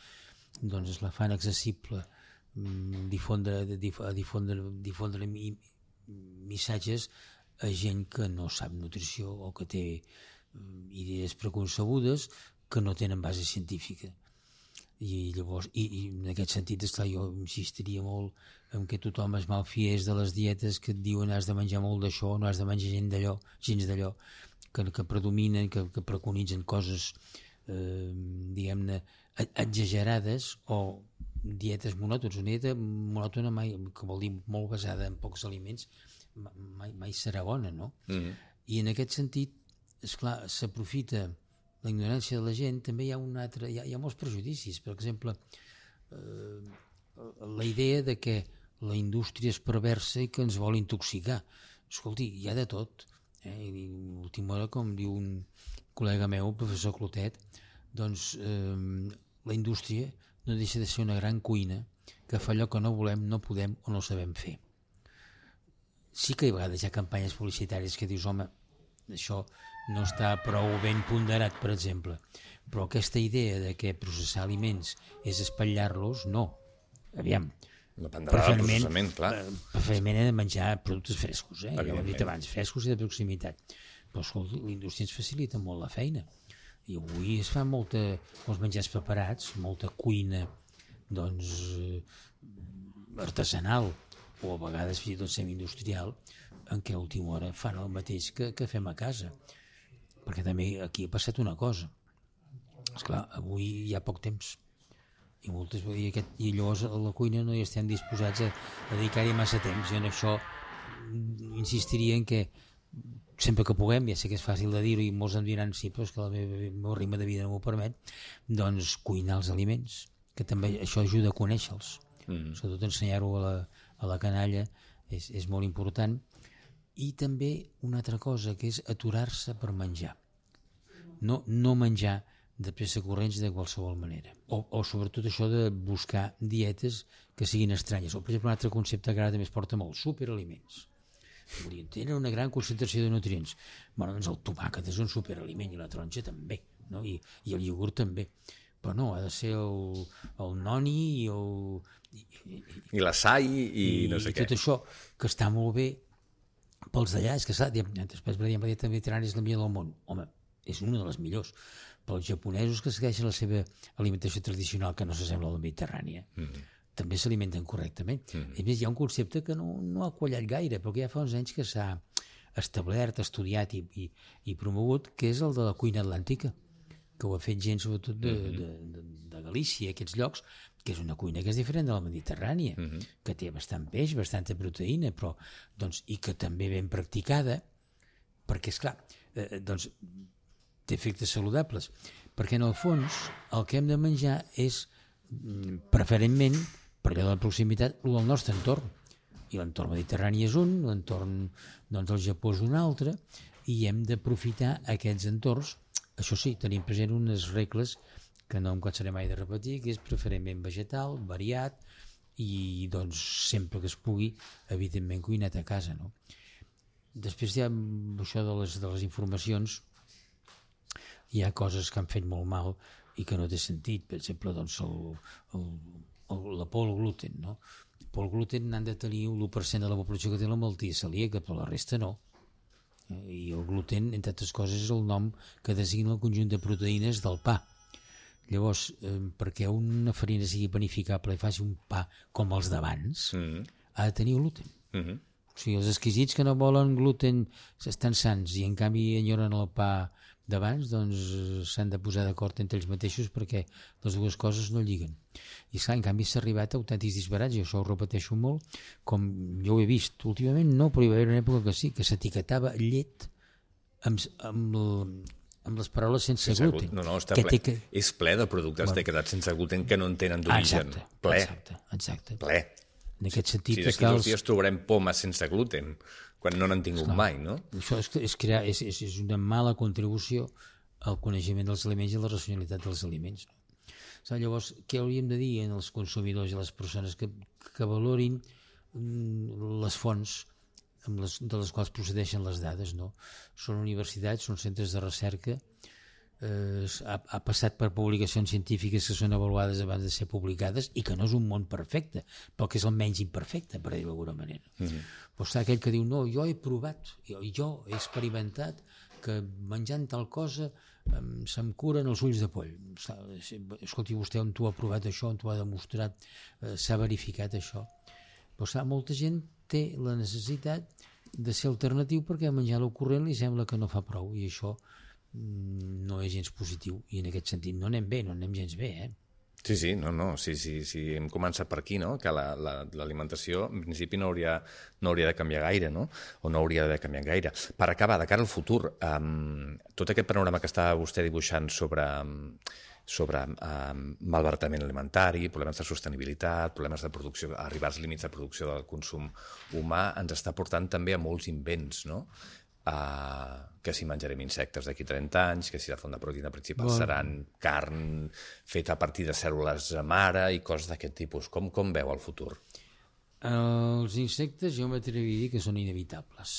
doncs es la fan accessible, difondre, difondre, difondre missatges a gent que no sap nutrició o que té idees preconcebudes que no tenen base científica. I llavors, i, i en aquest sentit, esclar, jo insistiria molt en que tothom es malfiés de les dietes que et diuen has de menjar molt d'això, no has de menjar gens d'allò, gens d'allò, que, que predominen, que, que preconitzen coses, eh, diguem-ne, exagerades o dietes monòtones. Una dieta monòtona mai, que vol dir molt basada en pocs aliments, mai, mai serà bona, no? Mm-hmm. I en aquest sentit, esclar, s'aprofita la ignorància de la gent. També hi ha un altre, hi ha, hi ha molts prejudicis. Per exemple, eh, la idea de que la indústria és perversa i que ens vol intoxicar. Escolti, hi ha de tot. Eh? I l'última hora, com diu un col·lega meu, el professor Clotet, doncs eh, la indústria no deixa de ser una gran cuina que fa allò que no volem, no podem o no sabem fer. Sí que a vegades hi ha campanyes publicitàries que dius, home, això no està prou ben ponderat, per exemple, però aquesta idea de que processar aliments és espatllar-los, no. Aviam, dependrà del processament, clar. Preferentment he de menjar productes frescos, eh? Ja ho hem dit abans, frescos i de proximitat. Però escolta, la indústria ens facilita molt la feina. I avui es fa molta, molts menjars preparats, molta cuina, doncs, artesanal, o a vegades fins i tot semi-industrial, en què a última hora fan el mateix que, que fem a casa. Perquè també aquí ha passat una cosa. Esclar, avui hi ha poc temps. I, moltes, i, aquest, i llavors a la cuina no hi estem disposats a, a dedicar-hi massa temps. I en això insistiria en que sempre que puguem, ja sé que és fàcil de dir-ho i molts em diran sí, però és que el meu, el meu ritme de vida no m'ho permet, doncs cuinar els aliments, que també això ajuda a conèixer-los. Mm. Sobretot ensenyar-ho a, la, a la canalla és, és molt important. I també una altra cosa, que és aturar-se per menjar. No, no menjar de pressa corrents de qualsevol manera. O, o sobretot això de buscar dietes que siguin estranyes. O, per exemple, un altre concepte que ara també es porta molt, superaliments. Vull dir, tenen una gran concentració de nutrients. Bueno, doncs el tomàquet és un superaliment i la taronja també, no? I, i el iogurt també. Però no, ha de ser el, el noni i el... I, i, i l'açai i, i no sé i què. I tot això, que està molt bé pels d'allà, és que clar, després per dir, la dieta mediterrània és la millor del món. Home, és una de les millors. Pels japonesos que segueixen la seva alimentació tradicional, que no s'assembla a la mediterrània, mm-hmm. també s'alimenten correctament. Mm-hmm. A més, hi ha un concepte que no, no ha quallat gaire, però que ja fa uns anys que s'ha establert, estudiat i, i, i promogut, que és el de la cuina atlàntica, que ho ha fet gent sobretot de, de, de, de Galícia, aquests llocs, que és una cuina que és diferent de la mediterrània, mm-hmm. que té bastant peix, bastanta proteïna, però, doncs, i que també ben practicada, perquè, esclar, eh, doncs, té efectes saludables, perquè en el fons el que hem de menjar és, preferentment, per allò de la proximitat, el del nostre entorn. I l'entorn mediterrani és un, l'entorn doncs, del Japó és un altre, i hem d'aprofitar aquests entorns. Això sí, tenim present unes regles que no em cansaré mai de repetir, que és preferentment vegetal, variat i doncs sempre que es pugui, evidentment cuinat a casa, no? Després hi ha això de les, de les informacions, hi ha coses que han fet molt mal i que no té sentit, per exemple, doncs el, el, el, la por al gluten, no? Por al gluten han de tenir l'u per cent de la població que té la malaltia celíaca, però la resta no. I el gluten, entre altres coses, és el nom que designa el conjunt de proteïnes del pa. Llavors, eh, perquè una farina sigui panificable i faci un pa com els d'abans, mm-hmm. ha de tenir gluten. Mm-hmm. O sigui, els exquisits que no volen gluten estan sans i en canvi enyoren el pa d'abans, doncs s'han de posar d'acord entre ells mateixos perquè les dues coses no lliguen. I clar, en canvi s'ha arribat a autèntics disbarats, i això ho repeteixo molt, com jo ho he vist últimament, no, però hi va haver una època que sí, que s'etiquetava llet amb, amb, el, amb les paraules sense, sense gluten. No, no, està ple. Que... És ple de productes bueno. etiquetats sense gluten que no en tenen d'origen. Exacte, ple. exacte, exacte. Ple. En aquest sentit, sí, d'aquí dos dies trobarem pomes sense gluten, quan no n'han tingut esclar, mai, no? Això és, és, crear, és, és, és una mala contribució al coneixement dels aliments i a la racionalitat dels aliments. No? Esclar, llavors, què hauríem de dir als consumidors i a les persones que, que valorin les fonts amb les, de les quals procedeixen les dades, no? Són universitats, són centres de recerca, eh, ha, ha passat per publicacions científiques que són avaluades abans de ser publicades i que no és un món perfecte, però que és el menys imperfecte, per dir-ho d'alguna manera. Mm-hmm. Però està aquell que diu, no, jo he provat, jo, jo he experimentat que menjant tal cosa se'm curen els ulls de poll. Escolti, vostè on t'ho ha provat això, on t'ho ha demostrat, eh, s'ha verificat això. Però clar, molta gent té la necessitat de ser alternatiu perquè menjar el corrent li sembla que no fa prou, i això mm, no és gens positiu, i en aquest sentit no anem bé, no anem gens bé, eh? Sí, sí, no, no, sí, sí, sí, hem començat per aquí, no? Que l'alimentació, la, la, en principi, no hauria, no hauria de canviar gaire, no? O no hauria de canviar gaire. Per acabar, de cara al futur, um, tot aquest panorama que està vostè dibuixant sobre, sobre um, malbaratament alimentari, problemes de sostenibilitat, problemes de producció, arribar als límits de producció del consum humà, ens està portant també a molts invents, no? Uh, que si menjarem insectes d'aquí trenta anys, que si la font de proteïna principal bueno. seran carn feta a partir de cèl·lules mare i coses d'aquest tipus. Com, com veu el futur? Els insectes jo m'atreviria a dir que són inevitables.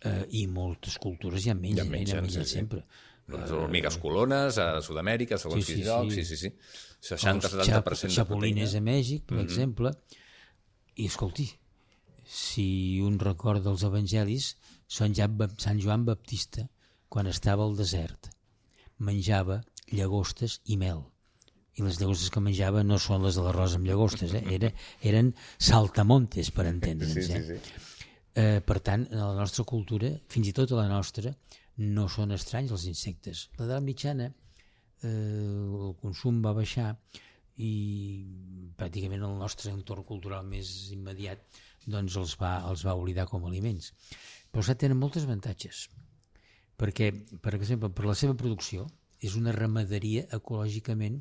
Uh, I moltes cultures ja en mengen, ja en mengen, ja en mengen sí, sempre. Sí. Les hormigues colones a Sud-amèrica, segons sí, sí, quins llocs, sí, sí, sí. seixanta a setanta per cent de proteïna. Xapolines a Mèxic, per mm-hmm. exemple. I escolti, si un recorda els evangelis, Sant Joan Baptista, quan estava al desert, menjava llagostes i mel. I les llagostes que menjava no són les de l'arròs amb llagostes, eh? Era, eren saltamontes, per entendre'ns. Eh? Sí, sí, sí. Eh, per tant, a la nostra cultura, fins i tot a la nostra, no són estranys els insectes. A l'edat mitjana eh, el consum va baixar i pràcticament el nostre entorn cultural més immediat doncs els va, els va oblidar com a aliments. Però ja tenen molts avantatges, perquè, per exemple, per la seva producció és una ramaderia ecològicament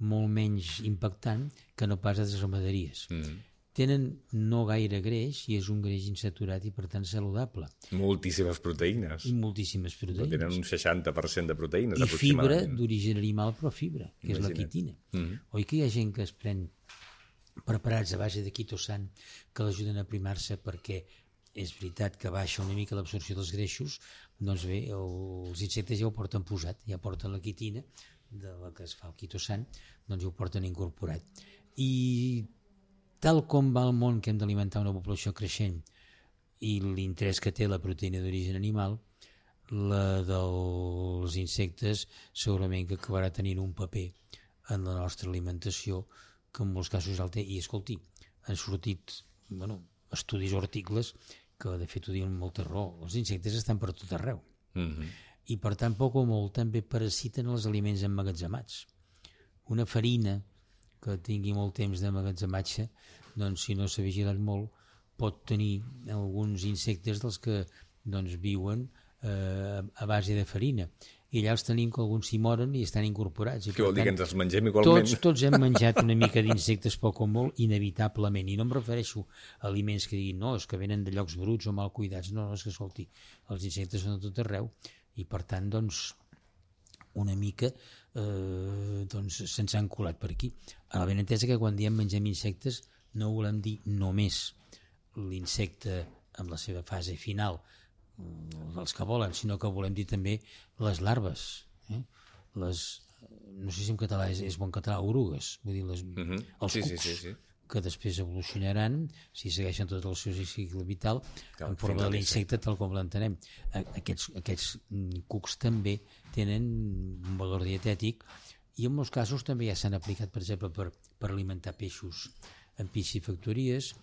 molt menys impactant que no pas altres ramaderies. Mm. Tenen no gaire greix i és un greix insaturat i per tant saludable. Moltíssimes proteïnes. I moltíssimes proteïnes. Tenen un seixanta per cent de proteïnes, I aproximadament. fibra d'origen animal, però fibra, que Imagina. és la quitina. Mm. Oi que hi ha gent que es pren preparats a base de quitosan que l'ajuden a primar-se perquè és veritat que baixa una mica l'absorció dels greixos, doncs bé, els insectes ja ho porten posat, ja porten la quitina de la que es fa el quitosan, doncs ja ho porten incorporat. I tal com va el món que hem d'alimentar una població creixent i l'interès que té la proteïna d'origen animal, la dels insectes segurament que acabarà tenint un paper en la nostra alimentació que en molts casos el té. I escolti, han sortit bueno, estudis o articles que de fet ho diuen amb molta raó. Els insectes estan per tot arreu. Mm-hmm. I per tant, poc o molt, també parasiten els aliments emmagatzemats. Una farina que tingui molt temps d'emmagatzematge, doncs si no s'ha vigilat molt, pot tenir alguns insectes dels que doncs, viuen eh, a base de farina. I allà els tenim que alguns s'hi moren i estan incorporats. I Què vol dir, que ens els mengem igualment? Tots, tots hem menjat una mica d'insectes poc o molt, inevitablement. I no em refereixo a aliments que diguin no, és que venen de llocs bruts o mal cuidats. No, no, és que, escolti, els insectes són a tot arreu i, per tant, doncs, una mica eh, doncs, se'ns han colat per aquí. A la ben entesa que quan diem mengem insectes no volem dir només l'insecte en la seva fase final, els que volen, sinó que volem dir també les larves, eh? les, no sé si en català és, és bon català, orugues, vull dir, les, mm-hmm. els sí, cucs, sí, sí, sí. que després evolucionaran, si segueixen tot el seu cicle vital, Cal, en forma de l'insecte tal com l'entenem. Aquests, aquests cucs també tenen un valor dietètic i en molts casos també ja s'han aplicat, per exemple, per, per alimentar peixos en piscifactories.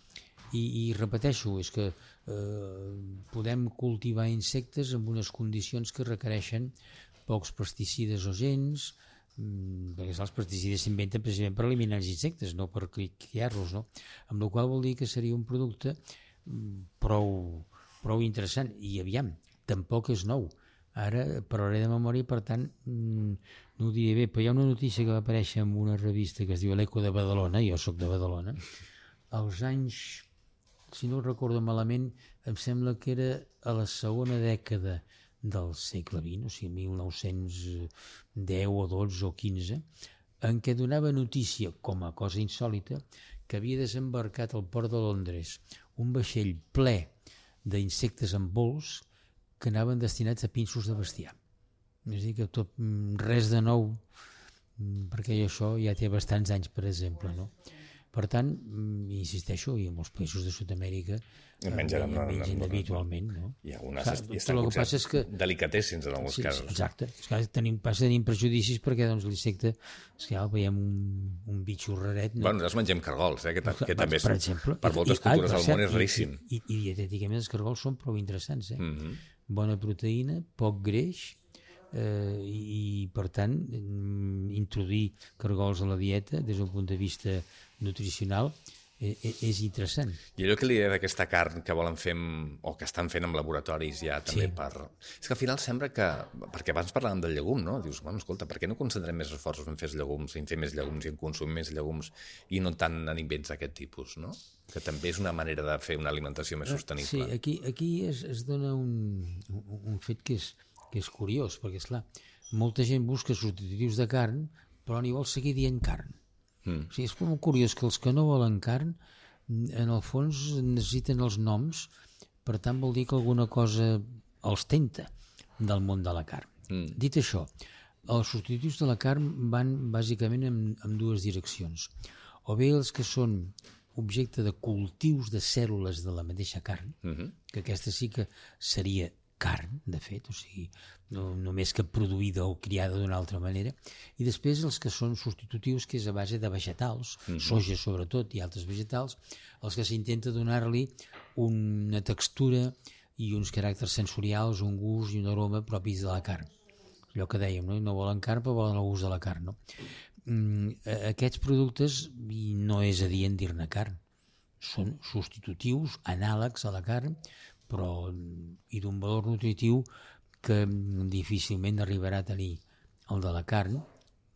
I, i repeteixo, és que eh, podem cultivar insectes en unes condicions que requereixen pocs pesticides o gens, mmm, perquè els pesticides s'inventen precisament per eliminar els insectes, no per criar-los, no? Amb la qual vol dir que seria un producte prou, prou interessant. I aviam, tampoc és nou. Ara parlaré de memòria i per tant mmm, no ho diré bé, però hi ha una notícia que va aparèixer en una revista que es diu l'Eco de Badalona, jo sóc de Badalona, als anys, si no ho recordo malament, em sembla que era a la segona dècada del segle vint, o sigui, mil nou-cents deu o dotze o quinze, en què donava notícia, com a cosa insòlita, que havia desembarcat al port de Londres un vaixell ple d'insectes en vols que anaven destinats a pinsos de bestiar. És a dir, que tot, res de nou, perquè això ja té bastants anys, per exemple, no? Per tant, insisteixo, i en molts països de Sud-amèrica mengen, no, mengen no, habitualment. No? I algunes Clar, i estan potser que... delicatessins en alguns sí, casos. Exacte. És que tenim, passa tenim prejudicis perquè doncs, l'insecte, és que ja veiem un, un bitxo raret. No? Bueno, nosaltres mengem cargols, eh, que, que, que també és, per, exemple, per moltes i, cultures ai, del món és raríssim. I, i, i dietèticament els cargols són prou interessants. Eh? Mm -hmm. Bona proteïna, poc greix, eh, i, i per tant introduir cargols a la dieta des d'un punt de vista nutricional eh, és interessant. I allò que li deia d'aquesta carn que volen fer amb, o que estan fent en laboratoris ja també sí. per... És que al final sembla que... Perquè abans parlàvem del llegum, no? Dius, bueno, escolta, per què no concentrem més esforços en fer llegums, en fer més llegums i en consumir més llegums i no tant en invents d'aquest tipus, no? Que també és una manera de fer una alimentació més sostenible. Sí, aquí, aquí es, es dona un, un, un fet que és, que és curiós, perquè, esclar, molta gent busca substitutius de carn, però n'hi vol seguir dient carn. Mm. O sigui, és molt curiós que els que no volen carn, en el fons necessiten els noms, per tant vol dir que alguna cosa els tenta del món de la carn. Mm. Dit això, els substitutius de la carn van bàsicament en, en dues direccions. O bé els que són objecte de cultius de cèl·lules de la mateixa carn, uh-huh. que aquesta sí que seria carn, de fet, o sigui, no només que produïda o criada d'una altra manera, i després els que són substitutius, que és a base de vegetals, uh-huh. soja sobretot i altres vegetals, els que s'intenta donar-li una textura i uns caràcters sensorials, un gust i un aroma propis de la carn. Allò que dèiem, no, no volen carn però volen el gust de la carn, no? Aquests productes, i no és adient dir-ne carn, són substitutius, anàlegs a la carn, però i d'un valor nutritiu que difícilment arribarà a tenir el de la carn,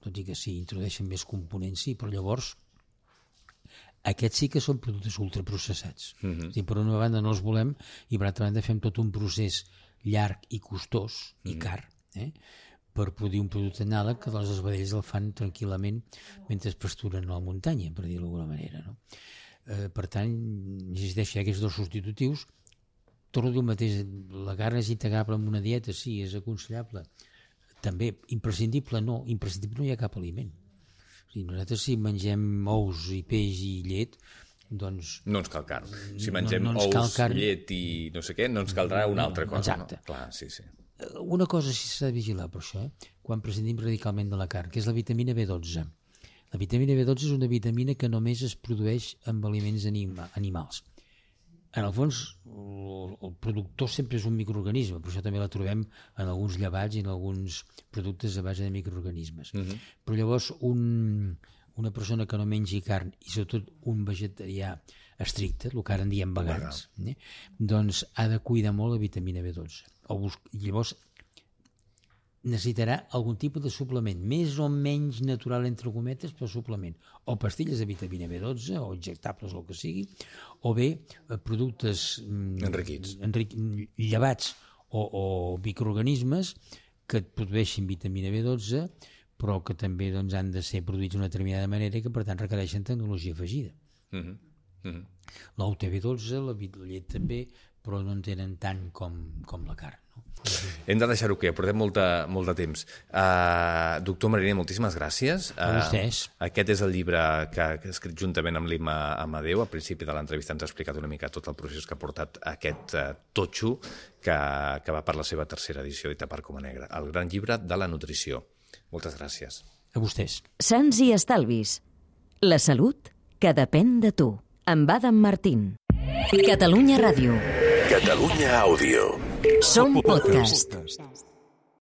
tot i que sí, introdueixen més components, sí, però llavors aquests sí que són productes ultraprocessats. Mm-hmm. És dir, per una banda no els volem i per altra banda fem tot un procés llarg i costós, mm-hmm. i car, eh? per produir un producte anàleg que doncs, els vedells el fan tranquil·lament mentre es pasturen a la muntanya, per dir-ho d'alguna manera. No? Eh, per tant, existeixen aquests dos substitutius. Torno a dir el mateix, la carn és integrable en una dieta, sí, és aconsellable. També, imprescindible no, imprescindible no hi ha cap aliment. O sigui, nosaltres si mengem ous i peix i llet, doncs... No ens cal carn. Si mengem no, no ous, carn... llet i no sé què, no ens caldrà una altra cosa. Exacte. No? Clar, sí, sí. Una cosa sí s'ha de vigilar per això, eh? Quan prescindim radicalment de la carn, que és la vitamina B dotze. La vitamina B dotze és una vitamina que només es produeix amb aliments anima, animals. En el fons, el, el productor sempre és un microorganisme, per això també la trobem en alguns llevats i en alguns productes a base de microorganismes. Uh-huh. Però llavors un, una persona que no mengi carn i sobretot un vegetarià estricte, el que ara en diem vegans, eh? doncs ha de cuidar molt la vitamina B dotze. O bus... Llavors necessitarà algun tipus de suplement, més o menys natural entre cometes, però suplement, o pastilles de vitamina B dotze o injectables o el que sigui, o bé productes enriquits, enric... llevats o, o microorganismes que et produeixin vitamina B dotze, però que també doncs, han de ser produïts d'una determinada manera i que per tant requereixen tecnologia afegida. Uh-huh. Uh-huh. L'ou té B dotze, la llet també, però no en tenen tant com, com la carn. No? Hem de deixar-ho que portem molta, molt de temps. Uh, doctor Mariner, moltíssimes gràcies. A vostès. Uh, aquest és el llibre que, que ha escrit juntament amb l'Imma Amadeu. Al principi de l'entrevista ens ha explicat una mica tot el procés que ha portat aquest uh, totxo que, que va per la seva tercera edició d'Ita per Coma Negra, el gran llibre de la nutrició. Moltes gràcies. A vostès. Sants i estalvis. La salut que depèn de tu. Amb Adam Martín. Catalunya Ràdio. Catalunya Àudio. Som podcast.